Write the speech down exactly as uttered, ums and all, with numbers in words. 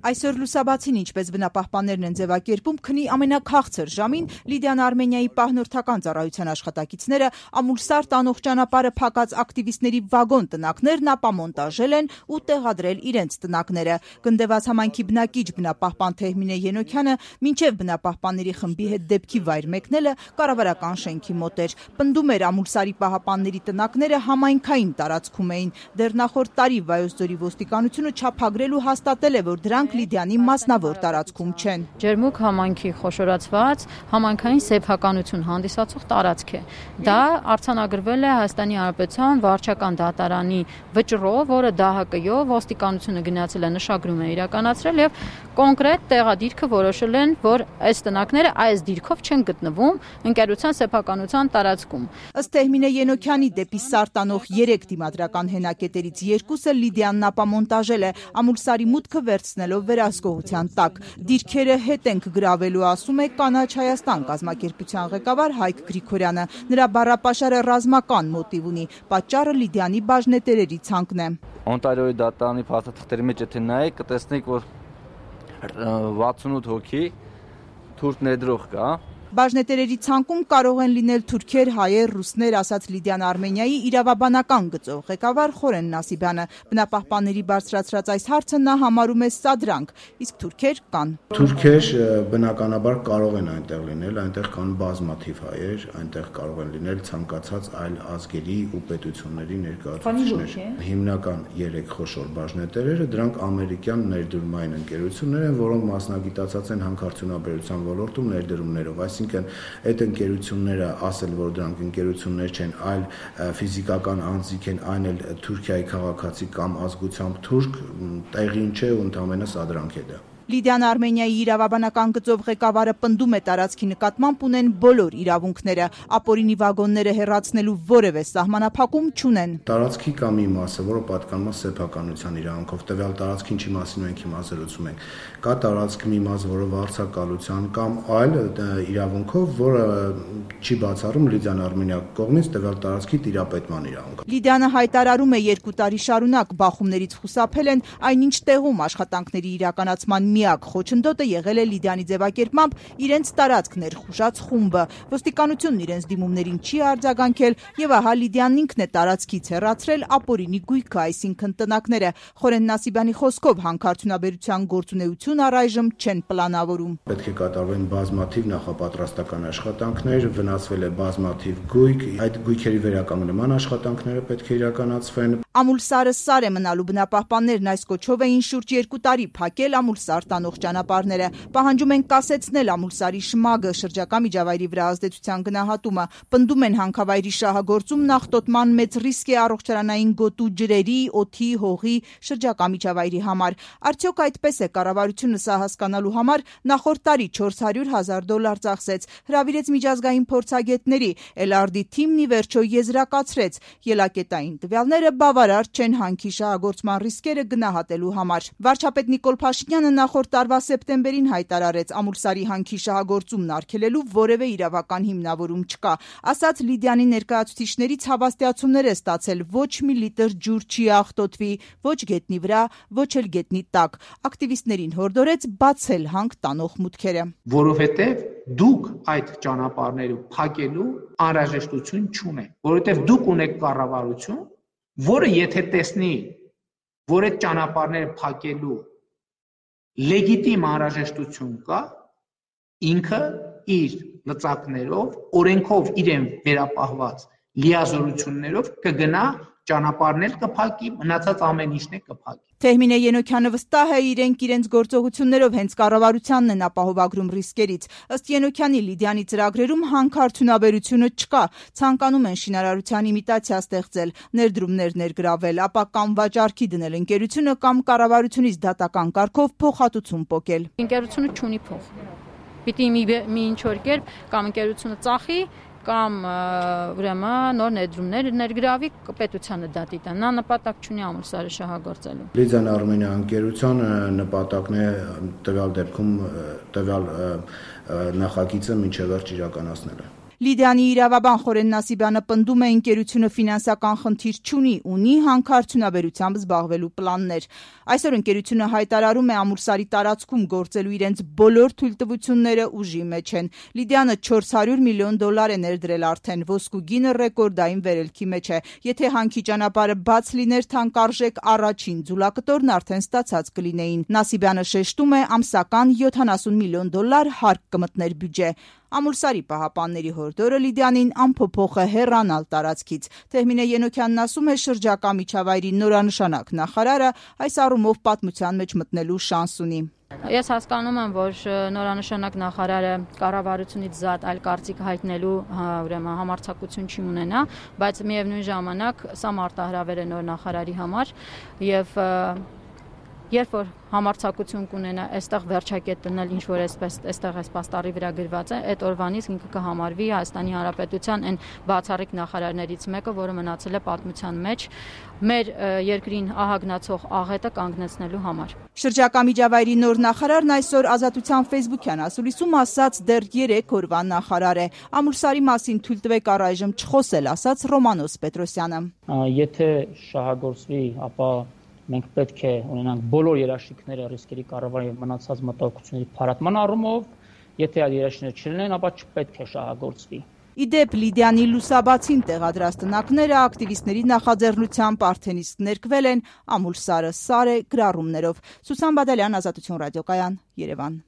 Այսօր լուսաբացին, ինչպես բնապահպաններն են ձևակերպում, քնի ամենաքաղցր ժամին Լիդիան Արմենիայի պահնորդական ծառայության աշխատակիցները ամուլսար տանող ճանապարհը փակած ակտիվիստների վագոն տնակներն ապամոնտաժել են ու տեղադրել իրենց տնակները։ Գնդեված համայնքի բնակիչ բնապահպան Թեհմինե Ենոքյանը մինչև բնապահպանների խմբի հետ դեպքի վայր մեկնելը կառավարական շենքի մոտ էր։ Պնդում էր ամուլսարի պահապանների տնակները համայնքային տարածքում էին։ Դեռ նախորդ տարի Վայոց ձորի ոստիկանությունը չափագրել ու հաստատել է, որ դրանք Լիդիանի մասնավոր տարածքում չեն։ Ջերմուկ համայնքի խոշորացված համայնքային սեփականություն հանդիսացող տարածք է։ Դա արձանագրվել է Հայաստանի Հանրապետության վարչական դատարանի վճռով, որը դա հա կը-ով ոստիկանությունը գնացել է նշագրում է իրականացրել եւ կոնկրետ տեղադիրքը որոշել են, որ այս տնակները այս դիրքով չեն գտնվում ընկերության սեփականության տարածքում։ Ըստ Թեհմինե Ենոքյանի դեպի Սարտանող երեք դիմադրական հենակետերից երկուսը Լիդիանն ապամոնտաժել է, ամուլսարի մուտքը վերցնելով վերահսկողության տակ։ Դիրքերը հետ ենք գրավելու, ասում է Կանաչ Հայաստան կազմակերպության ղեկավար Հայկ Գրիգորյանը։ Նրա բառապաշարը ռազմական մոտիվ ունի, պատճառը Լիդիանի բաժնետերերի ցանկն է։ Օնտարիոյի դատարանի փաստաթղթերի մեջ եթե նայեք, կտեսնեք, որ վաթսունութ հոգի թուրք ներդրող կա։ Բաժնետերերի ցանկում կարող են լինել թուրքեր, հայեր, ռուսներ, ասաց Լիդիան Արմենիայի իրավաբանական գծով ղեկավար Խորեն Նասիբյանը։ Բնապահպանների բարձրացրած այս հարցը նա համարում է սադրանք, իսկ թուրքեր կան։ Թուրքեր բնականաբար կարող են այնտեղ լինել, այնտեղ կան բազմաթիվ հայեր, այնտեղ կարող են լինել ցանկացած այլ ազգերի ու պետությունների ներկայացուցիչներ։ Հիմնական երեք խոշոր բաժնետերերը դրանք ամերիկյան ներդրումային ընկերություններ են, որոնք մասնագիտացած են հանքարդյունաբերության ոլորտում ներդրումներով։ Այսինքն այդ ընկերությունները ասել, որ դրանք ընկերություններ չեն, այլ ֆիզիկական անձիկ են, այն էլ Թուրքիայի քաղաքացի կամ ազգությամբ թուրք, տեղին չէ ու ընդամենը սադրանք է դա։ Լիդիան Արմենիայի իրավաբանական գծով ղեկավարը պնդում է տարածքի նկատմամբ ունեն բոլոր իրավունքները, ապօրինի վագոնները հեռացնելու որևէ սահմանափակում չունեն։ Տարածքի կամ մի մասը, որը պատկանում է սեփականության իրավունքով, տվյալ տարածքի ինչի մասին մենք հիմա զրուցում ենք, կա տարածք մի մաս, որը վարձակալության կամ այլ իրավունքով, որը չի բացառում Լիդիան Արմենիա կողմից տվյալ տարածքի տիրապետման իրավունքը։ Լիդիանը հայտարարում է երկու տարի շարունակ բախումներից խուսափել են, այնինչ տեղում աշխատանքների իրականացման միակ խոչընդոտը եղել է Լիդիանի ձևակերպմամբ իրենց տարածքն ներխուժած խումբը։ Ոստիկանությունն իրենց դիմումներին չի արձագանքել եւ ահա Լիդիանն ինքն է տարածքից հեռացրել ապօրինի գույքը, այսինքն տնակները։ Խորեն Նասիբյանի խոսքով հանքարդյունաբերության գործունեություն առայժմ չեն պլանավորում։ Պետք է կատարվեն բազմաթիվ նախապատրաստական աշխատանքներ, վնասվել է բազմաթիվ գույք, այդ գույքերի վերականգնման աշխատանքները պետք է իրականացվեն։ Ամուլսարը սար է մնալու բնապահպաններն այս կոչով էին շուրջ երկու տարի փակել ամուլսար տանող ճանապարհները, պահանջում են կասեցնել ամուլսարի շմագը, շրջակա միջավայրի վրա ազդեցության գնահատումը, պնդում են հանքավայրի շահագործում նախտոտման մեծ ռիսկ է առողջարանային գոտու ջրերի, օդի, հողի, շրջակա միջավայրի համար։ Արդյոք այդպես է կառավարությունը սա հասկանալու համար նախորդ տարի չորս հարյուր հազար դոլար ծախսեց, հրավիրեց միջազգային փորձագետների, Էլարդի թիմն ի վերջո եզրակացրեց, ելակետային տվյալները բավարար չեն հանքի շահագործման ռիսկերը գնահատելու համար։ Վարչապետ Նիկոլ Փաշինյանը նախորդ տարվա սեպտեմբերին հայտարարեց, ամուլսարի հանքի շահագործումն արգելելու որևէ իրավական հիմնավորում չկա։ Ասաց Լիդիանի ներկայացուցիչներից հավաստիացումներ է ստացել, ոչ մի լիտր ջուր չի աղտոտվի, ոչ գետնի վրա, ոչ էլ գետնի տակ։ Ակտիվիստներին հորդորեց բացել հանք տանող մուտքերը։ Որովհետև դուք այդ ճանապարհները փակելու անհրաժեշտություն չունեք, որովհետև դուք ունեք կառավարություն, որը եթե տեսնի, որ այդ ճանապարհները փակելու լեգիտիմ անհրաժեշտություն կա, ինքը իր լծակներով, օրենքով իրեն վերապահված լիազորություններով կգնա ճանապարհներ կփակի, մնացած ամեն ինչն է կփակի։ Թեհմինե Ենոքյանը վստահ է իրենք իրենց գործողություններով հենց կառավարությանն են ապահովագրում ռիսկերից։ Ըստ Ենոքյանի Լիդիանի ծրագրերում հանքարդյունաբերությունը չկա, ցանկանում են շինարարության իմիտացիա ստեղծել, ներդրումներ ներգրավել, ապա կամ վաճառքի դնել ընկերությունը կամ կառավարությունից դատական կարգով փոխհատուցում պոկել։ Ընկերությունը չունի փող։ Պիտի մի մի ինչ-որ կերպ կամ ընկերությունը ծախի կամ ուրեմն նոր ներդրումներ ներգրավի պետությանը դատի տա։ Նա նպատակ չունի ամուլսարը շահագործելու։ Լիդիան Արմենիա ընկերության նպատակն է տվյալ դեպքում տվյալ նախագիծը մինչև վերջ իրականացնելը։ Լիդիանի իրավաբան Խորեն Նասիբյանը պնդում է ընկերությունը ֆինանսական խնդիր չունի, ունի հանքարդյունաբերությամբ զբաղվելու պլաններ։ Այսօր ընկերությունը հայտարարում է Ամուլսարի տարածքում գործելու իրենց բոլոր թույլտվությունները ուժի մեջ են։ Լիդիանը չորս հարյուր միլիոն դոլար է ներդրել արդեն, ոսկու գինը ռեկորդային վերելքի մեջ է։ Եթե հանքի ճանապարհը բաց լիներ թանկարժեք առաջին ձուլակտորն արդեն ստացած կլինեին։ Նասիբյանը շեշտում է ամսական յոթանասուն միլիոն դոլար հարկ կմտներ բյուջե։ Ամուլսարի պահապանների հորդորը Լիդիանին անփոփոխ է հեռանալ տարածքից։ Թեհմինե Ենոքյանն ասում է շրջակա միջավայրի նորանշանակ նախարարը այս առումով պատմության մեջ մտնելու շանս ունի։ Ես հասկանում եմ, որ նորանշանակ նախարարը կառավարությունից զատ այլ կարծիք հայտնելու ուրեմն համարձակություն չի ունենա, բայց միևնույն ժամանակ սա մարտահրավեր է նոր նախարարի համար եւ երբ որ համարձակություն կունենա այստեղ վերջակետ դնել ինչ որ այսպես այստեղ այս պաստառի վրա գրված է, այդ օրվանից ինքը կհամարվի Հայաստանի Հանրապետության այն բացառիկ նախարարներից մեկը, որը մնացել է պատմության մեջ մեր երկրին ահագնացող աղետը կանգնեցնելու համար։ Շրջակա միջավայրի նոր նախարարն այսօր Ազատության Facebook-յան ասուլիսում ասաց դեռ երեք օրվա նախարար է։ Ամուլսարի մասին թույլ տվեք առայժմ չխոսել, ասաց Ռոմանոս Պետրոսյանը։ Եթե շահագործվի, ապա մենք պետք է ունենանք բոլոր երաշխիքները ռիսկերի կառավարման եւ մնացած մտահոգությունների փարատման առումով, եթե այդ երաշխիքները չլինեն, ապա չպետք է շահագործվի։ Իդեպ Լիդիանի լուսաբացին տեղադրած տնակները ակտիվիստների նախաձեռնությամբ արդենից ներկվել են Ամուլսարը սարե գրառումներով։ Սուսան Բադալյան, Ազատություն ռադիոկայան, Երևան։